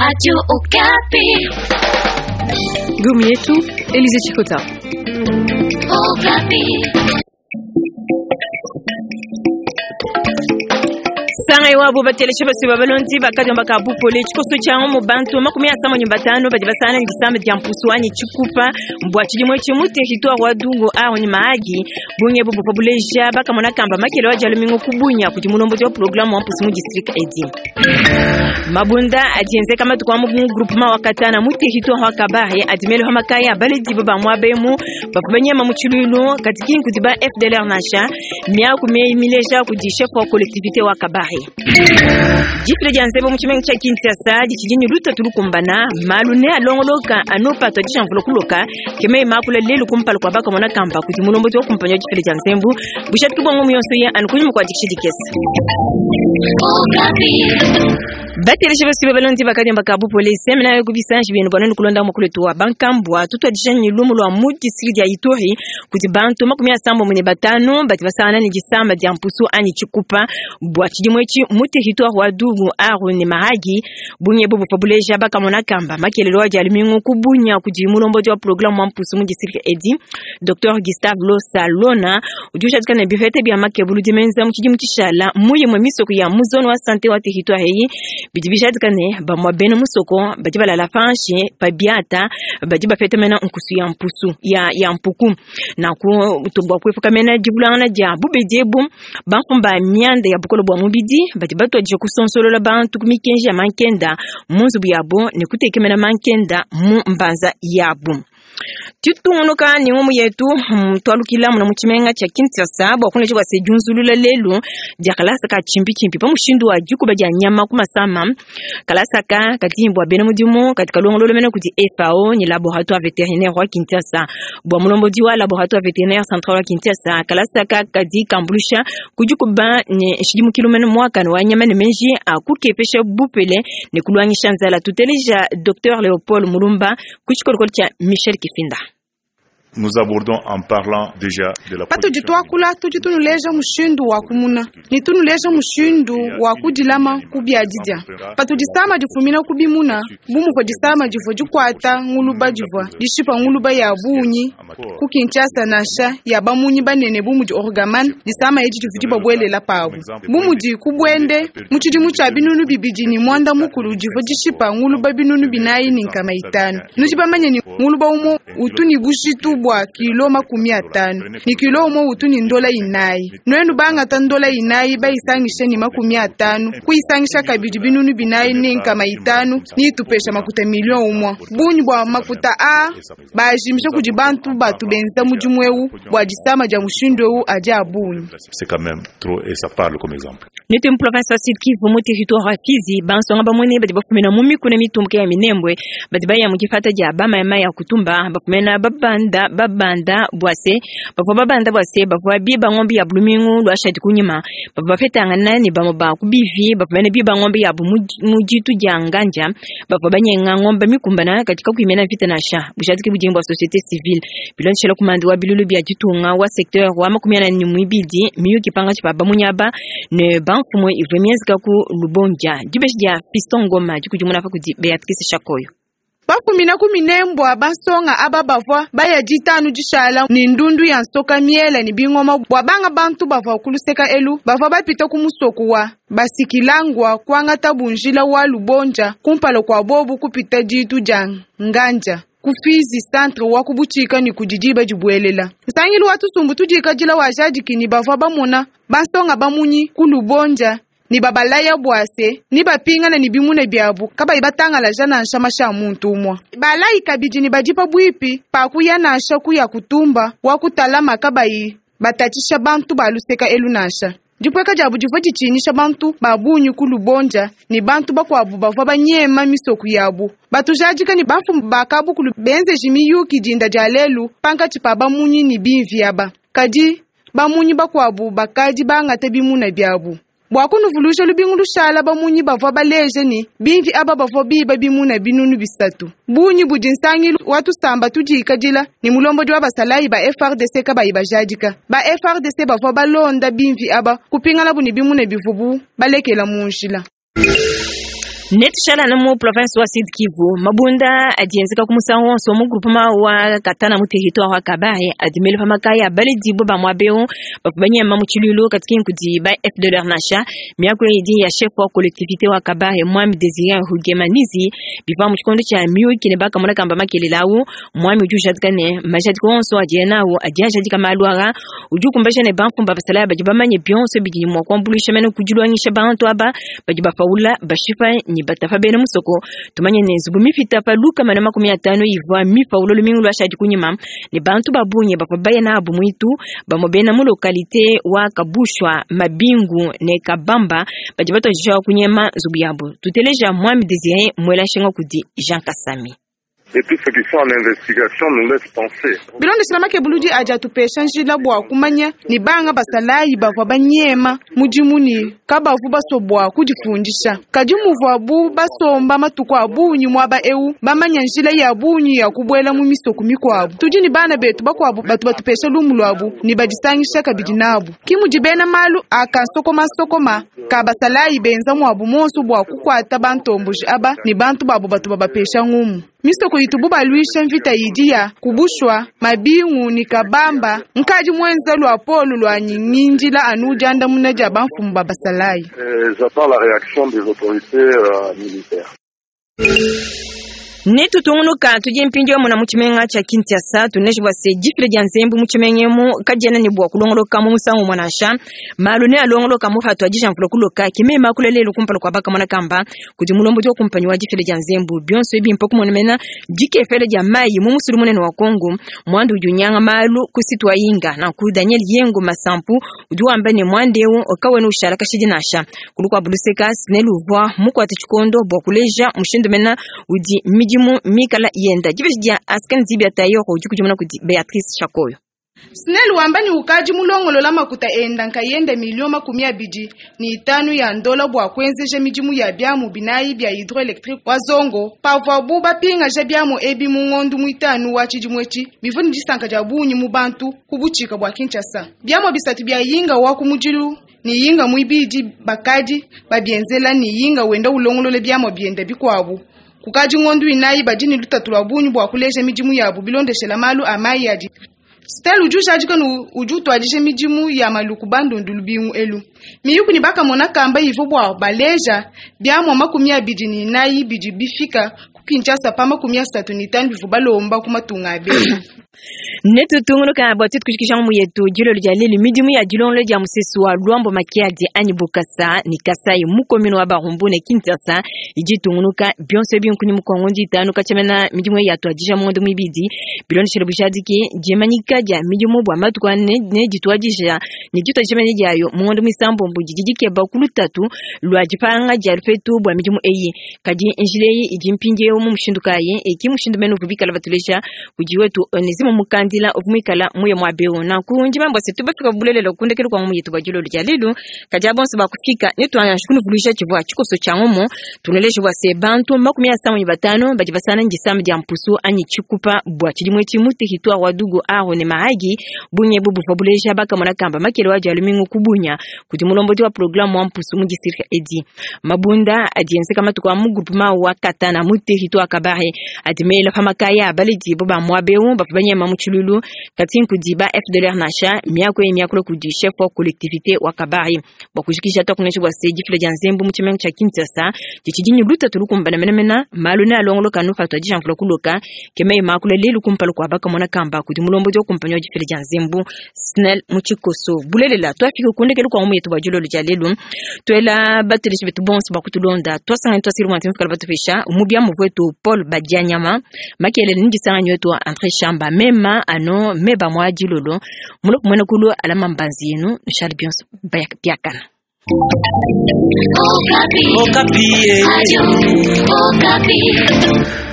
Radio Okapi. Gumi yetu Elize Chikota. Okapi. Sanga iwabo batelesha basi babalondi bakadi bakabupole tshikoso tshia mu bantu 35 badi basana ni disamba dia mpusu anyi tshikupa mbwa tshidimo etshi mu territoire wa Dungu aho ni Mahagi bunye bubu buleja bakamona kamba makele wa jalumingo kubunya kudi mulombodi wa programme wa mpusu mu district edi mabunda adienzeka matuku a mu groupement wa Katana mu territoire wa Kabare adimele makaya baledi ba mwabemu bavua banyema mu tshilulu kati kudi ba FDLR nasha miaku mileja kudi chef wa collectivité wa Kabare difile dia nzembo mu tshimenga tshia Kinshasa ditshidi ne lutatu lukumbana malu ne alongoloka anu patua dishamvula kuloka keme makula lelu kumpala kua bakamona kamba kudi mulombodi wa kumpanya difile dia nzembo bushatu kubongo muyonso ye anu kunyima kua dikisha dikese Okapi. batelesha basi balondi bakadi bakabu polisi mena yo kubisanji bino bwana kulonda mukulu wa bankambwa tutwadisha ni lumu lwa mu district ya Ituri kuti bantu 35 bati basana ni disamba dia mpusu anyi tshikupa bwa tshidimo etshi mu territoire wa Dungu aru ne Mahagi bunye bubu fabuleja bakamona kamba makelelo wa dialumingu kubunya kudi mulombodi wa programme wa mpusu mu district edi Dr Gustave Losalona udi ushatika ne bifete bia makebulu dimenza mu tshidimu tshishala muye mwe misoko ya mu zone wa santé wa territoire eyi bidi bijadika ne bamwa bena musoko badi balala panshi pa biata badi bapeta mena nkusu ya mpusu ya, ya mpuku naku tubwa kuepuka mena divulangana dia bubedi ebu bamfumba mianda ya bukolo bwa mubidi badi batwadija kusonsolola bantu ku mikenji ya mankenda mu nzubu yabo ne kutekemena mankenda mu mbanza yabu titungunuka ni ngumu yetu twalukila muna mu tshimenga tshia Kinshasa bua kuneja bua se diunzulula lelu dia kalasa ka tshimpi pa mushindu wa dikuba dia nyama ku masama kalasa ka kadi bua bena mudimu katika longololo mena kudi FAO ni laboratoire vétérinaire wa Kinshasa bua mulombodi wa laboratoire vétérinaire central wa Kinshasa kalasa ka kadi kambulusha kudikuba ne nshidimukilu mena mwakano wa nyama ne menji akukepesha bupele ne kulwangisha nzala tuteleja Dr Léopold Mulumba ku tshikolokolo tshia Michel Kifinda. Nous abordons en parlant déjà de la patudi twakula tudi tunuleja mushindu wa kumuna ni tunuleja mushindu wa kudilama kubia didia patudi sama difumina kubimuna bumuvua disama divua dikuata nguluba divua dishipa nguluba ya bunyi ku Kinshasa nansha ya bamunyi banene bumudi orgaman disama edi divua dibabuelela pabu bumudi kubwende mu tshidimu tshia binunu bibidi ni mwanda mukulu divua dishipa nguluba binunu binayi ni nkama itanu nudi bamanye ni nguluba umo utu ni bujitu bua kilo 50 ni kilo umwe utu ni ndola inayi nwenu bangata ndola inayi bayisangishe ni 50 kuyisangisha kabidi binunu binayi ni nkama itanu ni itupesha makuta milion umwe bunyi bua makuta a bajimisha kudi bantu batu benza mudimu ewu bua disama dia mushindu ewu adi a bunyi C'est quand même trop et ça parle comme exemple. Nete mu province wa Sud Kivu mu territoire wa Fizi bansonga bamone badi bafumina mu mikuna mitumbuke ya Minembwe badi baya mu difata dia bamayama ya kutumba bafumina babanda babanda bwase bavua babanda bwase bavua biba ng'ombe ya bulumingu lwashadi kunyima bavua bapetangana ne bamue ba kubivi bafumina biba ng'ombe yabu mu ditu dia nganja bavua banyenga ng'ombe mikumbana katika kuimena vita nasha bushadiki budimbu bua société civile bilonshela kumandi wa bilulu bia ditunga wa secteur wa 42 miyuki panga tshipa bamunyaba ne bamfumu ivue mienzeka ku lubondia dibeshi dia Fiston Ngoma dikudimuna pa kudi Beatrice Shakoyo bafumina ku minembwa bansonga aba bavua baya ditanu dishala ni ndundu ya nsoka miela ni bingoma bua banga bantu bavua kuluseka elu bavua bapita ku musoku wa basikilangwa kuangata bunjila wa lubonja kumpala kua bobu kupita ditu dia nganja ku Fizi centre wa kubuchika ni kudidiba dibuelela nsangilu wa tusumbu tudikadila wa jadiki ni bavua bamona bansonga bamunyi ku lubonja ni babalaya bwase ni bapingana ni bimuna byabu kabayi batangalaja nansha masha muntu umwa balayi kabidi ni badipa bwipi pakuya nansha kuya kutumba wa kutalama kabayi batatisha bantu baluseka elu nansha dipweka diabu divua ditshinyisha bantu babunyi ku lubonja ni bantu bakuabu bavua banyema misoku yabu batujadika ni bamfumu bakabukulu benzeji miyuki dinda dia lelu pankatshi pa bamunyi ni bimvi aba kadi bamunyi bakuabu bakadi bangata bimuna biabu bua kunuvulusha lubingu lushala bamunyi bavua baleje ni bimvi aba bavua biba bimuna binunu bisatu bunyi budi nsangilu wa tusamba tudikadila ni mulombodi wa basalayi ba FRDC kabayi bajadika ba FRDC bavua balonda bimvi aba kupingana buni bimuna bivubu balekela mu njila. Netushala na mu province wa Sud Kivu. Mabunda adi enzeka ku musangu wonso mu groupement wa Katana mu territoire wa Kabare adi mele pa makaya baledi bo ba muaba eu bavua banyema mu tshiluilu kati kudi ba FDLR nansha. Miaku idi ya chef wa collectivité wa Kabare, Mwami Désiré Rugemanizi, bivua mu tshikondo tshia miyuki ne bakamona kamba makelela awu. Mwami udi ujadika ne majadika onso adiye nawu adi ajadika malu aa. Udi ukumbaja ne bamfumu ba basalayi badi bamanye bionso bidi mua kuambuluisha mene kudiluangisha bantu aba badi bapaula, bashipa ne batapa bena musoko. Tumanye ne nzubu mipita pa 150 ivua mipaula lumingu luashadi kunyima ne bantu ba bungi bavua baya nabu muitu. Bamue bena mu localité wa Kabushwa, Mabingu ne Kabamba badi batuadija kunyema nzubu yabo. Tuteleja Mwami Désiré mwela nshinga kudi Jean Kasami. Et puis ceux qui sont en investigation nous laissent penser. Bilondeshela makebuludi adi atupesha njila bua kumanya ni banga basalayi bavua banyema mudimu ni kabavu basobua kudifundisha, kadi muvuabu basomba matuku a bungi muaba eu, bamanya njila ya bungi ya kubuela mu misoko mikuabu. Tudi ni bana betu bakuabu batu batupesha lumu luabu ni badisangisha kabidi nabu. Kimudi bena malu akansokomasokoma ka basalayi benza muabu monso bua kukuata bantomboji aba ni bantu babu batu babapesha ngumu. Misoko itubu baluisha mvita idi ya kubushwa, Mabingu ni Kabamba nkadi mwenza lwa polu lwa nyingindila anu diandamuna dia bamfumu ba basalayi. Et j'attends la réaction des autorités militaires. Netutungunuka tudi mpindieu muna mu tshimenga tshia Kinshasa. Tuneji bua se difila dia nzembu mu tshimenga emu kadiena ne bua kulongoloka mu musangu umue nansha. Malu ne alongoloka mu patu adija mvula kuloka. Kimema kula lelu kumpala kua bakamona kamba kudi mulombodi wa kumpanyi wa difila dia nzembu. Bionso ebi mpa kumona mena dikefela dia mayi mu musulu munene wa Kongo mwandu udi unyanga malu ku situ wa Inga. Nanku Daniel Yengo Masampu udi wamba ne mwanda eu kawena ushala kashidi nansha. Kulu kua buluseka SNEL uvua mukuate tshikondo bua kuleja mushindu mena udi midimu mikala yenda. Dibeji dia Askan Zibia Tayor udi kudimuna kudi Beatrice Chakoyo. SNEL wamba ni ukaji mulongolola makuta enda nkayenda 25 million ya ndola bua kuenzeja midimu ya biamu binayi bia hydroélectrique wa Zongo pavuabu bapingaja biamu ebi mu ngondu muitanu wa tshidimu etshi. Bivua ni disanka dia bungi mu bantu ku butshika bua Kinshasa. Biamu bisatu bia Yinga wa ku mudilu ni Yinga muibidi bakadi babienzela ni Yinga wenda ulongolola biamu bienda bikuabu kukadi ngondu inayi. Badi ni lutatu lua bungi bua kuleja midimu yabu bilondeshela malu a mayi adi. SNEL udi ujadika ne udi utuadija midimu ya maluku bandundu lubingu elu. Miyuku ni bakamona kamba ivo bua baleja biamua 24 bidi bifika ku Kinshasa pa 35 bivu balomba ku matunga abeli. Netutungunuka bua tuetu kujikija ngumu yetu dilolo dia lelu. Midimu ya dilongolo dia musesu wa Luambo Makiadi anyi Bukasa ni Kasai mu commune wa Barumbu ne Kinshasa idi itungunuka. Bionso ebi nkuni mukongo nditanu katshiamena midimu eyi yatuadija mu ngondo muibidi. Bilondeshele bujadiki, dimanyika dia midimu bua matuku ane ne dituadija ne dituadija mene diayo mu ngondo muisambombo didi dikeba ku lutatu lua dipanga dia lupetu bua midimu eyi. Kadi njila eyi idi mpindieu mu mushindu kayi? Eki mushindu mene uvu bikala batuleja kudi wetu Onezimo Mukandila uvu muikala muye muaba eu. Nanku ndimambua se tubafika bulelela kundekelu kua ngumu yetu bua dilolo dia lelu. Kadi abonso bakufika netuanji kunuvuluija tshivua tshikoso tshia ngumu. Tunaleja bua se bantu 55 badi basana ndisama dia mpusu anyi tshikupa bua tshidimu etshi mu territoire wa Djugu, Aru ne Mahagi. Bungi ebu buvua buleja bakamona kamba makele wa dia lumingu kubunya kudi mulombodi wa programme wa mpusu mu district edi. Mabunda adi enzeka matuku a mu groupement wa Katana mu territoire Kabare adi mela pa makaya baledi bo ba muaba eu bavua banyema mu tshiluilu kati nkudi ba FDLR nansha. Miaku eyi miakula kudi chef wa collectivité wa Kabare. Bua kujikija, tuakuneja bua se difila dia nzembu mu tshimenga tshia Kinshasa ditshidi ne lutatu lukumbana menamena. Malu ne alongoloka nu patu adija mvula kuloka. Ke meyi makula lelu kumpala kua bakamona kamba kudi mulombodi wa kumpanyi wa difila dia nzembu SNEL mu tshikoso. Bulelela tuafika kundekelu kua ngumu yetu bua dilolo dia lelu. Tuela bateleji betu bonso bakutulonda twasangani twasili mwanti mfikala batupesha mubia muvuetu Paul Badianyama makelele ndisanganyi wetu wa André Shamba mema ano meba mwa dilolo mulopo mwene kulu alama mbanzi yenu nushali bionso biakana. Okapi. Okapi. Radio Okapi.